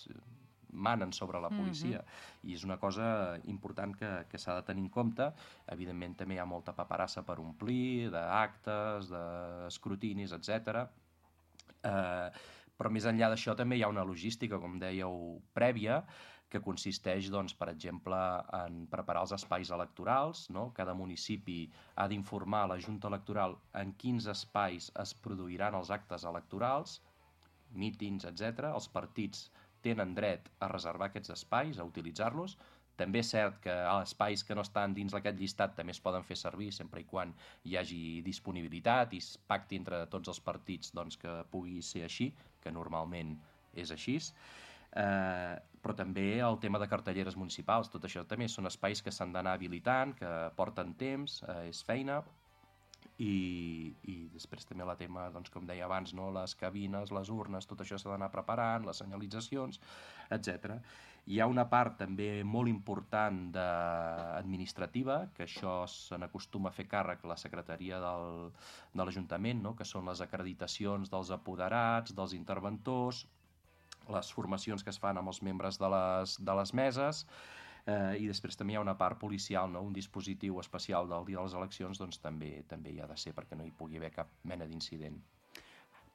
manen sobre la policia, mm-hmm. i és una cosa important que, que s'ha de tenir en compte. Evidentment també hi ha molta paperassa per omplir, d'actes, d'escrutinis, etcètera. Eh, però més enllà d'això també hi ha una logística, com dèieu, prèvia, que consisteix, doncs, per exemple, en preparar els espais electorals, no? Cada municipi ha d'informar a la Junta Electoral en quins espais es produiran els actes electorals, mítings, etcètera. Els partits tenen dret a reservar aquests espais, a utilitzar-los. També és cert que els espais que no estan dins d'aquest llistat també es poden fer servir sempre i quan hi hagi disponibilitat i es pacti entre tots els partits doncs, que pugui ser així, que normalment és així. Eh, però també el tema de cartelleres municipals, tot això també són espais que s'han d'anar habilitant, que porten temps, eh, és feina, i, i després també el tema, doncs, com deia abans, no? Les cabines, les urnes, tot això s'ha d'anar preparant, les senyalitzacions, etcètera. Hi ha una part també molt important de... administrativa, que això se n'acostuma a fer càrrec la secretaria del... de l'Ajuntament, no? Que són les acreditacions dels apoderats, dels interventors, les formacions que es fan amb els membres de les, de les meses, eh, i després també hi ha una part policial, no? Un dispositiu especial del dia de les eleccions, doncs també també hi ha de ser perquè no hi pugui haver cap mena d'incident.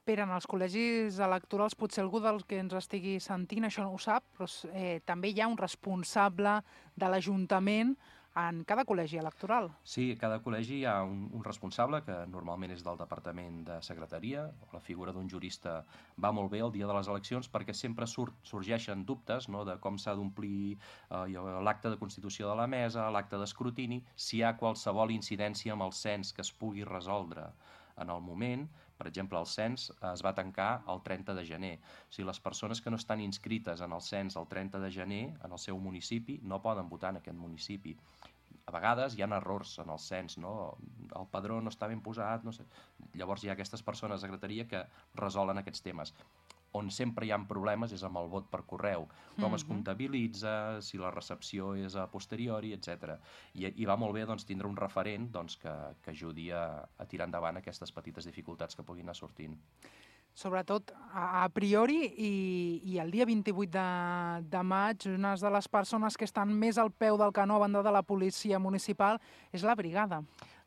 Pere, en els col·legis electorals, potser algú del que ens estigui sentint això no ho sap, però eh, també hi ha un responsable de l'Ajuntament en cada col·legi electoral. Sí, a cada col·legi hi ha un, un responsable, que normalment és del Departament de Secretaria. La figura d'un jurista va molt bé el dia de les eleccions perquè sempre surt, sorgeixen dubtes, no?, de com s'ha d'omplir eh, l'acte de constitució de la mesa, l'acte d'escrutini, si hi ha qualsevol incidència amb el cens que es pugui resoldre en el moment. Per exemple, el cens es va tancar el trenta de gener. O sigui, les persones que no estan inscrites en el cens el trenta de gener en el seu municipi no poden votar en aquest municipi. A vegades hi ha errors en el cens, no? El padró no està ben posat, no sé. Llavors hi ha aquestes persones de secretaria que resolen aquests temes. On sempre hi ha problemes és amb el vot per correu, com es comptabilitza, si la recepció és a posteriori, etcètera. I, i va molt bé doncs, tindre un referent doncs, que, que ajudi a, a tirar endavant aquestes petites dificultats que puguin anar sortint. Sobretot a, a priori i, i el dia vint-i-vuit de, de maig, una de les persones que estan més al peu del canó a banda de la policia municipal és la brigada.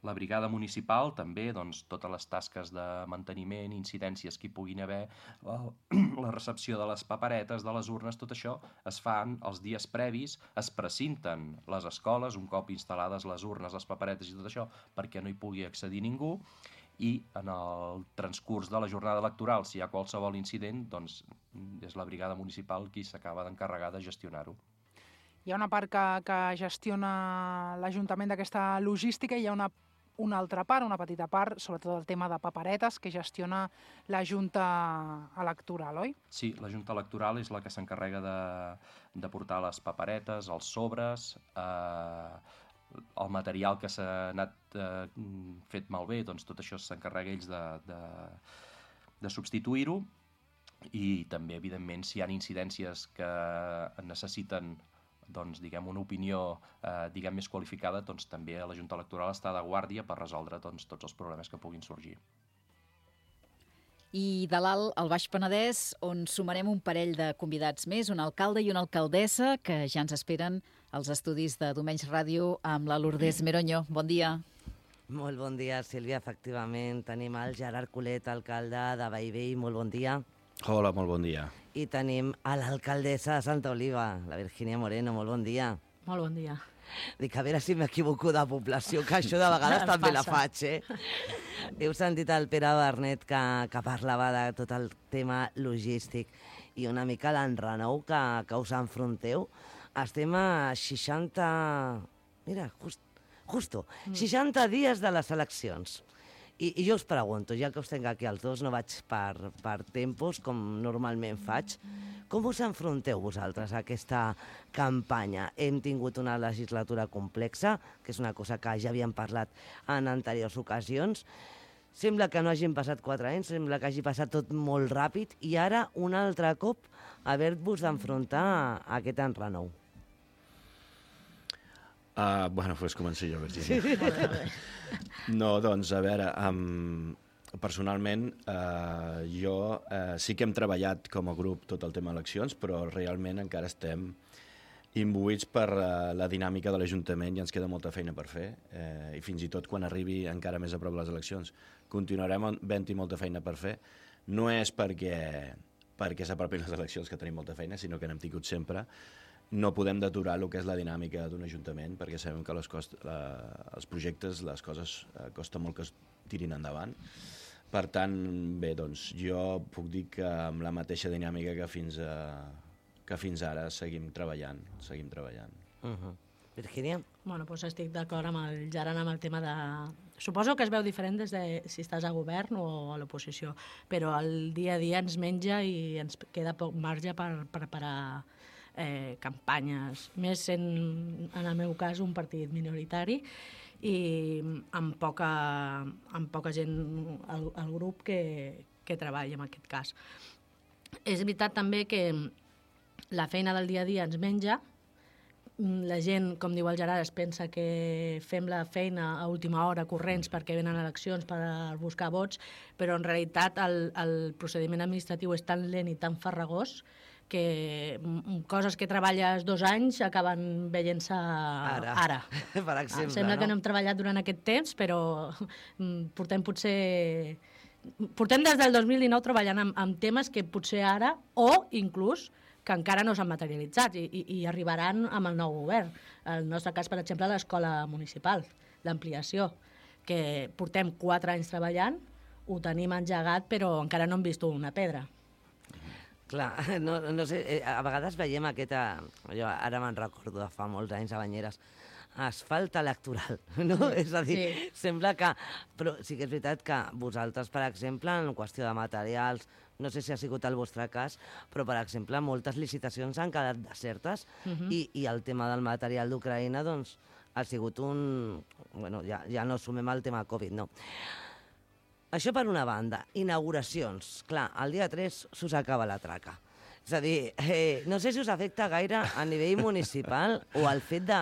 La brigada municipal també, doncs, totes les tasques de manteniment, incidències que hi puguin haver, la, la recepció de les paperetes, de les urnes, tot això es fan els dies previs, es precinten les escoles, un cop instal·lades les urnes, les paperetes i tot això, perquè no hi pugui accedir ningú, i en el transcurs de la jornada electoral, si hi ha qualsevol incident, doncs és la brigada municipal qui s'acaba d'encarregar de gestionar-ho. Hi ha una part que, que gestiona l'Ajuntament d'aquesta logística i hi ha una, una altra part, una petita part, sobretot el tema de paperetes, que gestiona la Junta Electoral, oi? Sí, la Junta Electoral és la que s'encarrega de, de portar les paperetes, els sobres, eh, el material que s'ha anat eh, fet malbé, doncs tot això s'encarrega ells de, de, de substituir-ho, i també, evidentment, si hi ha incidències que necessiten doncs, diguem, una opinió eh, diguem, més qualificada, doncs també la Junta Electoral està de guàrdia per resoldre doncs, tots els problemes que puguin sorgir. I de l'alt al Baix Penedès, on sumarem un parell de convidats més, un alcalde i una alcaldessa, que ja ens esperen als estudis de Domenys Ràdio amb la Lourdes Meroño. Bon dia. Molt bon dia, Sílvia. Efectivament, tenim el Gerard Colet, alcalde de Bellvei. Molt bon dia. Hola, molt bon dia. I tenim a l'alcaldessa de Santa Oliva, la Virginia Moreno. Molt bon dia. Molt bon dia. Dic, a veure si m'equivoco de població, que això de vegades també la faig, eh? Heu sentit el Pere Bernet que, que parlava de tot el tema logístic i una mica l'enrenou que, que us enfronteu. Estem a seixanta... Mira, just, justo, seixanta dies de les eleccions. I, I jo us pregunto, ja que us tenc aquí els dos, no vaig per, per tempos, com normalment faig, com us enfronteu vosaltres a aquesta campanya? Hem tingut una legislatura complexa, que és una cosa que ja havíem parlat en anteriors ocasions. Sembla que no hagin passat quatre anys, sembla que hagi passat tot molt ràpid, i ara, un altre cop, haver-vos d'enfrontar a aquest enrenou. Uh, bueno, doncs començo jo, Virginia. Sí. No, doncs, a veure, um, personalment, uh, jo uh, sí que hem treballat com a grup tot el tema eleccions, però realment encara estem imbuïts per uh, la dinàmica de l'Ajuntament i ens queda molta feina per fer. Uh, I fins i tot quan arribi encara més a prop les eleccions continuarem havent-hi molta feina per fer. No és perquè, perquè s'apropin les eleccions que tenim molta feina, sinó que n'hem tingut sempre. No podem deturar el que és la dinàmica d'un ajuntament, perquè sabem que les cost, la, els projectes, les coses, eh, costa molt que es tirin endavant. Per tant, bé, doncs, jo puc dir que amb la mateixa dinàmica que fins, a, que fins ara seguim treballant, seguim treballant. Uh-huh. Virgínia? Bueno, doncs estic d'acord amb el Gerard amb el tema de... Suposo que es veu diferent des de si estàs a govern o a l'oposició, però el dia a dia ens menja i ens queda poc marge per preparar eh, campanyes, més sent, en el meu cas, un partit minoritari i amb poca, amb poca gent al, al grup que, que treballa en aquest cas. És veritat també que la feina del dia a dia ens menja. La gent, com diu el Gerard, es pensa que fem la feina a última hora corrents perquè venen eleccions per buscar vots, però en realitat el, el procediment administratiu és tan lent i tan farragós que coses que treballes dos anys acaben veient-se ara. ara. Per exemple, Sembla no? que no hem treballat durant aquest temps, però portem potser... Portem des del dos mil dinou treballant amb, amb temes que potser ara, o inclús, que encara no s'han materialitzat i, i, i arribaran amb el nou govern. En el nostre cas, per exemple, l'escola municipal, l'ampliació, que portem quatre anys treballant, ho tenim engegat, però encara no hem vist una pedra. Clar, no, no sé, a vegades veiem aquesta... Jo ara me'n recordo de fa molts anys a Banyeres, asfalt electoral, no? Sí, és a dir, sí. Sembla que... Però sí que és veritat que vosaltres, per exemple, en qüestió de materials, no sé si ha sigut el vostre cas, però, per exemple, moltes licitacions han quedat desertes uh-huh. i, i el tema del material d'Ucraïna, doncs, ha sigut un... Bueno, ja, ja no sumem el tema Covid, no. Això per una banda. Inauguracions. Clar, el dia tres s'us acaba la traca. És a dir, eh, no sé si us afecta gaire a nivell municipal o el fet de...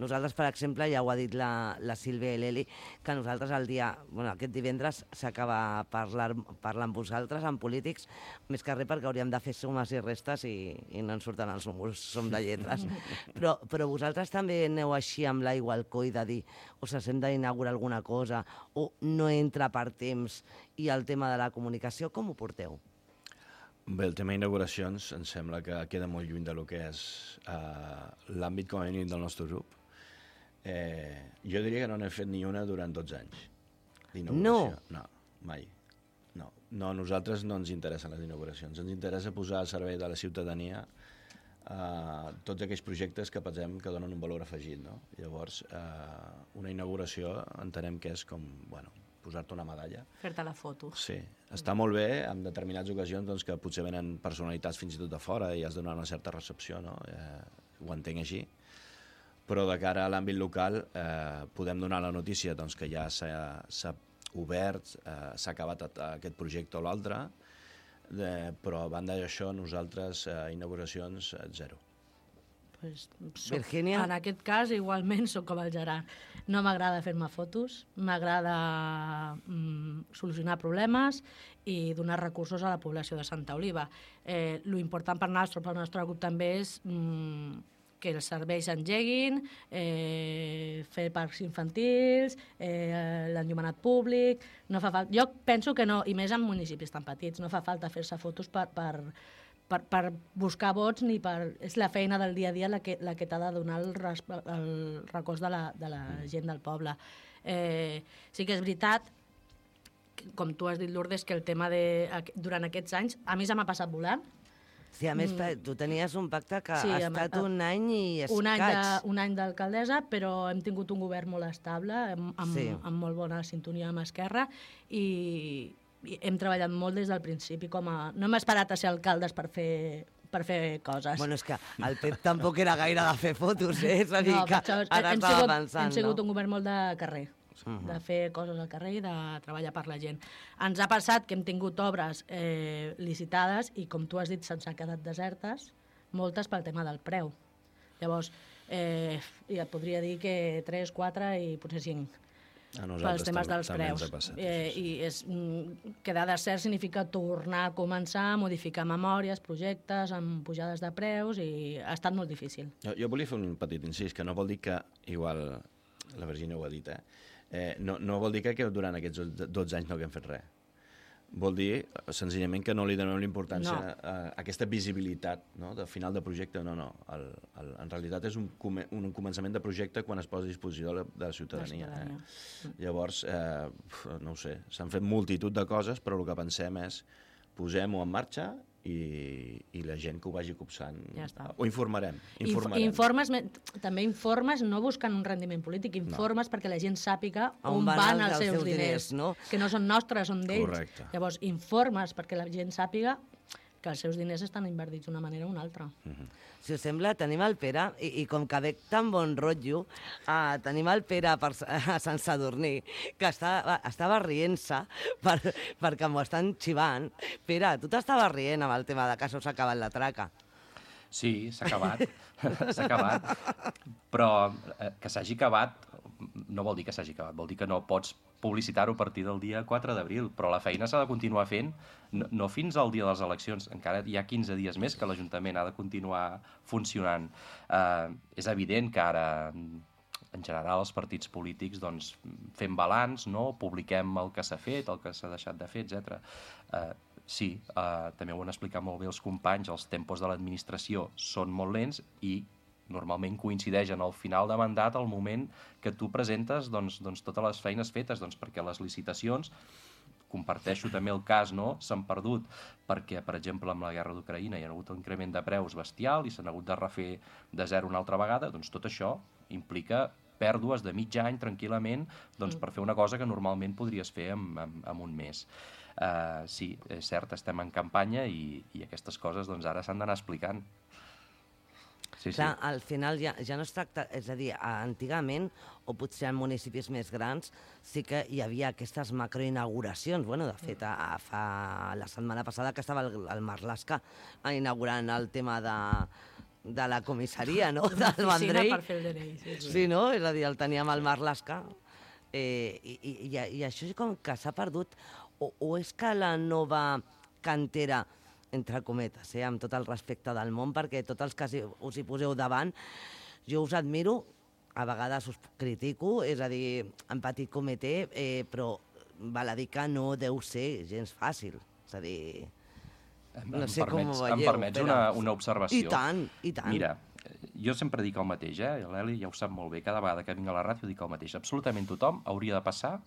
Nosaltres, per exemple, ja ho ha dit la, la Sílvia i l'Eli, que nosaltres el dia, bueno, aquest divendres s'acaba parlar, parlar amb vosaltres, amb polítics, més que res perquè hauríem de fer sumes i restes i, i no ens surten els números, som de lletres. Però, però vosaltres també aneu així amb l'aigua al coll de dir o s'hem d'inaugurar alguna cosa o no entra per temps i el tema de la comunicació, com ho porteu? Bé, el tema d'inauguracions em sembla que queda molt lluny de lo que és eh, l'àmbit com a mínim del nostre grup. Eh, jo diria que no n'hem fet ni una durant dotze anys d'inauguració. No? No, mai. No. no, a nosaltres no ens interessen les inauguracions. Ens interessa posar al servei de la ciutadania eh, tots aquells projectes que pensem que donen un valor afegit. No? Llavors, eh, una inauguració entenem que és com, bueno, posar-te una medalla. Fer-te la foto. Sí, està molt bé en determinades ocasions doncs, que potser venen personalitats fins i tot de fora i has de donar una certa recepció, no? Eh, ho entenc així. Però de cara a l'àmbit local eh, podem donar la notícia doncs, que ja s'ha obert, eh, s'ha acabat aquest projecte o l'altre, eh, però a banda d'això nosaltres eh, inauguracions eh, zero. Pues, soc, Virgínia? En aquest cas, igualment, soc com el Gerard. No m'agrada fer-me fotos, m'agrada mm, solucionar problemes i donar recursos a la població de Santa Oliva. Eh, lo important per nosaltres, pel nostre grup també és mm, que els serveis engeguin, eh, fer parcs infantils, eh, l'enllumenat públic... No fa falta... Jo penso que no, i més en municipis tan petits, no fa falta fer-se fotos per... per Per, per buscar vots ni per... És la feina del dia a dia la que, la que t'ha de donar el, res, el recòs de la, de la gent del poble. Eh, sí que és veritat, com tu has dit, Lourdes, que el tema de... Durant aquests anys, a mi se m'ha passat volant. Sí, a més, mm. tu tenies un pacte que sí, ha estat un any i escaig. Un any, de, un any d'alcaldessa, però hem tingut un govern molt estable, amb, amb, sí. amb molt bona sintonia amb Esquerra, i... hem treballat molt des del principi, com a... no hem esperat a ser alcaldes per fer, per fer coses. Bueno, és que el Pep tampoc era gaire de fer fotos, eh? És a dir, no, que això, ara hem estava sigut, pensant, hem sigut no? un govern molt de carrer, uh-huh. de fer coses al carrer i de treballar per la gent. Ens ha passat que hem tingut obres eh, licitades i, com tu has dit, se'ns ha quedat desertes, moltes pel tema del preu. Llavors, eh, ja podria dir que tres, quatre i potser cinc. Pels temes dels preus. Passat, eh, sí. I és, quedar desert significa tornar a començar, modificar memòries, projectes, amb pujades de preus, i ha estat molt difícil. Jo, jo volia fer un petit incís, que no vol dir que, igual la Virgínia ho ha dit, eh? eh no, no vol dir que durant aquests dotze anys no haguem fet res. Vol dir, senzillament, que no li donem l'importància no. a, a aquesta visibilitat, no? De final de projecte. No, no. El, el, en realitat és un, un començament de projecte quan es posa a disposició de la, de la ciutadania. La ciutadania. Eh? Llavors, eh, no ho sé, s'han fet multitud de coses, però el que pensem és posem-ho en marxa i, i la gent que ho vagi copsant. Ja està. Ho informarem. informarem. Inf informes, també informes no buscant un rendiment polític, informes no. perquè la gent sàpiga on, on van, van els, els seus, seus diners, diners no? Que no són nostres, són d'ells. Correcte. Llavors, informes perquè la gent sàpiga que els seus diners estan invertits d'una manera o una altra. Mm-hmm. Si us sembla, tenim el Pere, i, i com que veig tan bon rotllo, uh, tenim el Pere per, a Sant Sadurní, que està, estava rient-se per, perquè m'ho estan xivant. Pere, tu t'estaves rient amb el tema de que s'us ha acabat la traca. Sí, s'ha acabat, s'ha acabat, però eh, que s'hagi acabat no vol dir que s'hagi acabat, vol dir que no pots publicitar-ho a partir del dia quatre d'abril, però la feina s'ha de continuar fent, no, no fins al dia de les eleccions, encara hi ha quinze dies més que l'Ajuntament ha de continuar funcionant. Eh, és evident que ara, en general, els partits polítics doncs, fem balanç, no? Publiquem el que s'ha fet, el que s'ha deixat de fer, etcètera. Eh, sí, eh, també ho han explicat molt bé els companys, els tempos de l'administració són molt lents i normalment coincideix en el final de mandat el moment que tu presentes doncs, doncs, totes les feines fetes, doncs, perquè les licitacions, comparteixo també el cas, no? S'han perdut perquè, per exemple, amb la guerra d'Ucraïna hi ha hagut un increment de preus bestial i s'han hagut de refer de zero una altra vegada, doncs tot això implica pèrdues de mig any tranquil·lament doncs, per fer una cosa que normalment podries fer en, en, en un mes. Uh, sí, és cert, estem en campanya i, i aquestes coses doncs, ara s'han d'anar explicant. Sí, Clar, sí. al final ja, ja no es tracta... És a dir, antigament, o potser en municipis més grans, sí que hi havia aquestes macroinauguracions. Bueno, de fet, a, a fa la setmana passada que estava el, el Marlaska inaugurant el tema de, de la comissaria, no?, del Vendrell. Per fer el D N I, sí, sí. Sí, no? És a dir, el teníem al Marlaska. Eh, i, i, i, I això com que s'ha perdut. O, o és que la nova cantera, entre cometes, eh, amb tot el respecte del món, perquè tots els que us hi poseu davant, jo us admiro, a vegades us critico, és a dir, en petit comitè, eh, però val a dir que no deu ser gens fàcil. És a dir, no sé com ho veieu. Em permets una, una observació? I tant, i tant. Mira, jo sempre dic el mateix, eh? L'Eli ja ho sap molt bé, cada vegada que vinc a la ràdio dic el mateix. Absolutament tothom hauria de passar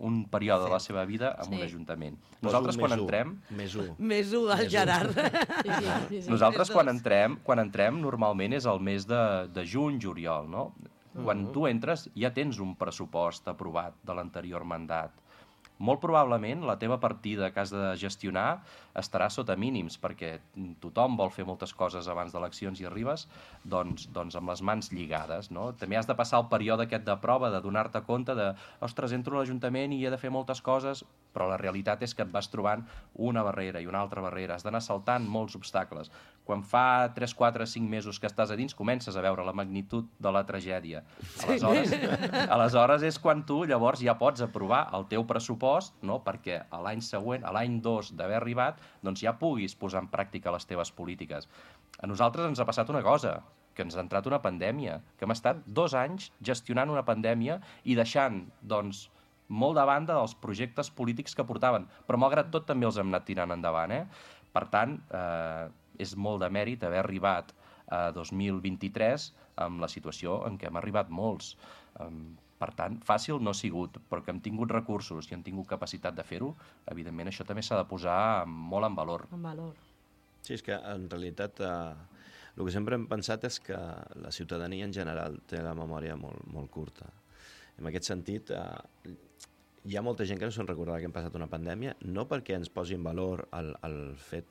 un període sí. de la seva vida en sí. un ajuntament. Nosaltres, quan entrem... Més un. Més un, el Gerard. Sí, sí, sí, sí. Nosaltres, quan entrem, quan entrem, normalment és el mes de, de juny, juliol, no? Quan tu entres, ja tens un pressupost aprovat de l'anterior mandat. Molt probablement la teva partida que has de gestionar estarà sota mínims, perquè tothom vol fer moltes coses abans d'eleccions i arribes doncs, doncs amb les mans lligades, no? També has de passar el període aquest de prova, de donar-te compte de, ostres, entro a l'Ajuntament i he de fer moltes coses, però la realitat és que et vas trobant una barrera i una altra barrera, has d'anar saltant molts obstacles. Quan fa tres, quatre, cinc mesos que estàs a dins, comences a veure la magnitud de la tragèdia. Aleshores, aleshores és quan tu llavors ja pots aprovar el teu pressupost, no? Perquè a l'any següent, a l'any dos d'haver arribat, doncs ja puguis posar en pràctica les teves polítiques. A nosaltres ens ha passat una cosa, que ens ha entrat una pandèmia, que hem estat dos anys gestionant una pandèmia i deixant, doncs, molt de banda dels projectes polítics que portaven, però malgrat tot també els hem anat tirant endavant, eh? Per tant, eh, és molt de mèrit haver arribat a dos mil vint-i-tres amb la situació en què hem arribat molts. Per tant, fàcil no ha sigut, però que hem tingut recursos i hem tingut capacitat de fer-ho, evidentment això també s'ha de posar molt en valor. En valor. Sí, és que en realitat eh, el que sempre hem pensat és que la ciutadania en general té la memòria molt, molt curta. En aquest sentit, eh, hi ha molta gent que no se'n recordarà que hem passat una pandèmia, no perquè ens posi en valor el, el fet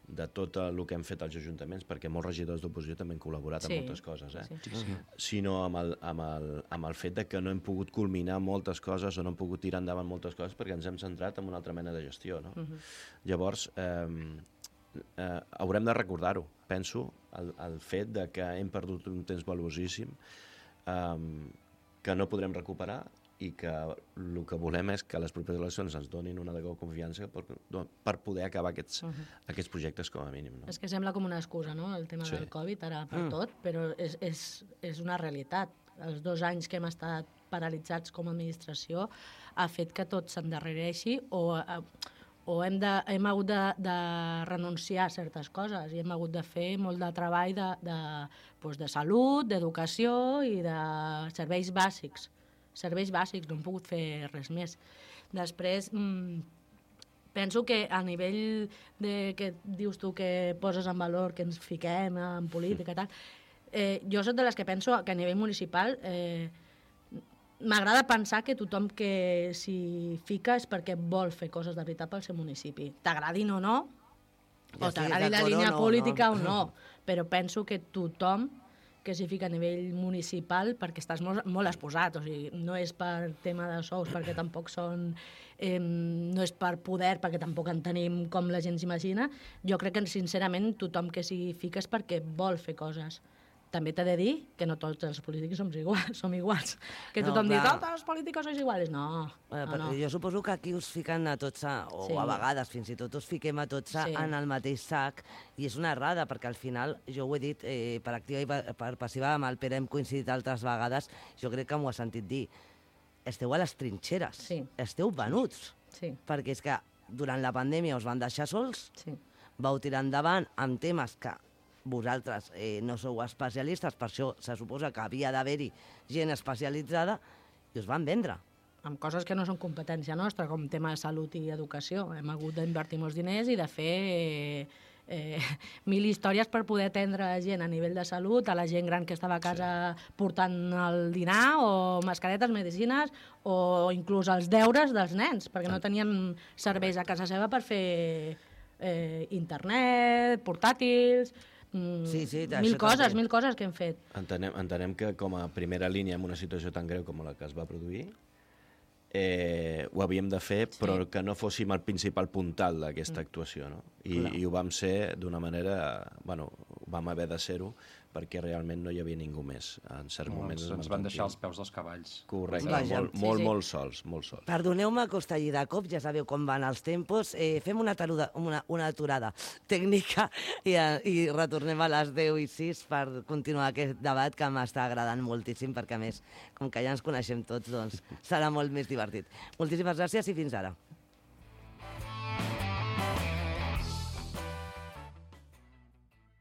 de tot el que hem fet als ajuntaments, perquè molts regidors d'oposició també han col·laborat sí. en moltes coses, eh? sí. Sí, sí. sinó amb el, amb, el, amb el fet de que no hem pogut culminar moltes coses o no hem pogut tirar endavant moltes coses perquè ens hem centrat en una altra mena de gestió. No? Uh-huh. Llavors, eh, eh, haurem de recordar-ho, penso, el, el fet de que hem perdut un temps valuosíssim, eh, que no podrem recuperar, i que el que volem és que les properes eleccions ens donin una de confiança per, per poder acabar aquests, uh -huh. aquests projectes com a mínim. No? És que sembla com una excusa, no?, el tema sí. del Covid, ara per mm. tot, però és, és, és una realitat. Els dos anys que hem estat paralitzats com a administració ha fet que tot s'endarrereixi o, o hem, de, hem hagut de, de renunciar a certes coses i hem hagut de fer molt de treball de, de, doncs de salut, d'educació i de serveis bàsics. serveis bàsics, no hem pogut fer res més. Després, mmm, penso que a nivell de que dius tu que poses en valor, que ens fiquem en política i tal, eh, jo soc de les que penso que a nivell municipal eh, m'agrada pensar que tothom que s'hi fica és perquè vol fer coses de veritat pel seu municipi. T'agradin o no, Ja o t'agradi la d'acord o línia no, política no. o no, però penso que tothom que s'hi fica a nivell municipal perquè estàs molt, molt exposat, o sigui, no és per tema de sous, perquè tampoc són... Eh, no és per poder, perquè tampoc en tenim com la gent s'imagina. Jo crec que, sincerament, tothom que s'hi fica és perquè vol fer coses. També t'he de dir que no tots els polítics som iguals. Som iguals. Que No, tothom diu, clar. tots els polítics sois iguals. No, Eh, no, no. Jo suposo que aquí us fiquen a tots, a, o Sí. a vegades fins i tot us fiquem a tots a, Sí. en el mateix sac, i és una errada, perquè al final, jo ho he dit eh, per activa i per, per passiva, amb el Pere hem coincidit altres vegades, jo crec que m'ho ha sentit dir, esteu a les trinxeres, Sí. esteu venuts, Sí, perquè és que durant la pandèmia us van deixar sols, sí. vau tirar endavant amb temes que vosaltres eh, no sou especialistes, per això se suposa que havia d'haver-hi gent especialitzada, i us van vendre. Amb coses que no són competència nostra, com tema de salut i educació. Hem hagut d'invertir molts diners i de fer eh, eh, mil històries per poder atendre gent a nivell de salut, a la gent gran que estava a casa sí. portant el dinar, o mascaretes, medicines, o inclús els deures dels nens, perquè no tenien serveis a casa seva per fer eh, internet, portàtils... Mm, Sí, sí, mil això coses, també. mil coses que hem fet. Entenem, entenem que com a primera línia en una situació tan greu com la que es va produir, eh, ho havíem de fer, però Sí. que no fóssim el principal puntal d'aquesta actuació, no? I, Clar. I ho vam ser d'una manera... Bueno, vam haver de ser-ho perquè realment no hi havia ningú més. En certs No, moments... ens, vam ens van sentir- deixar els peus dels cavalls. Correcte, Vaja. molt, Sí, molt, sí. molt sols, molt sols. Perdoneu-me que us talli de cop, ja sabeu com van els tempos. Eh, fem una, taruda, una, una aturada tècnica i, eh, i retornem a les deu i sis per continuar aquest debat que m'està agradant moltíssim, perquè a més, com que ja ens coneixem tots, doncs serà molt més divertit. Moltíssimes gràcies i fins ara.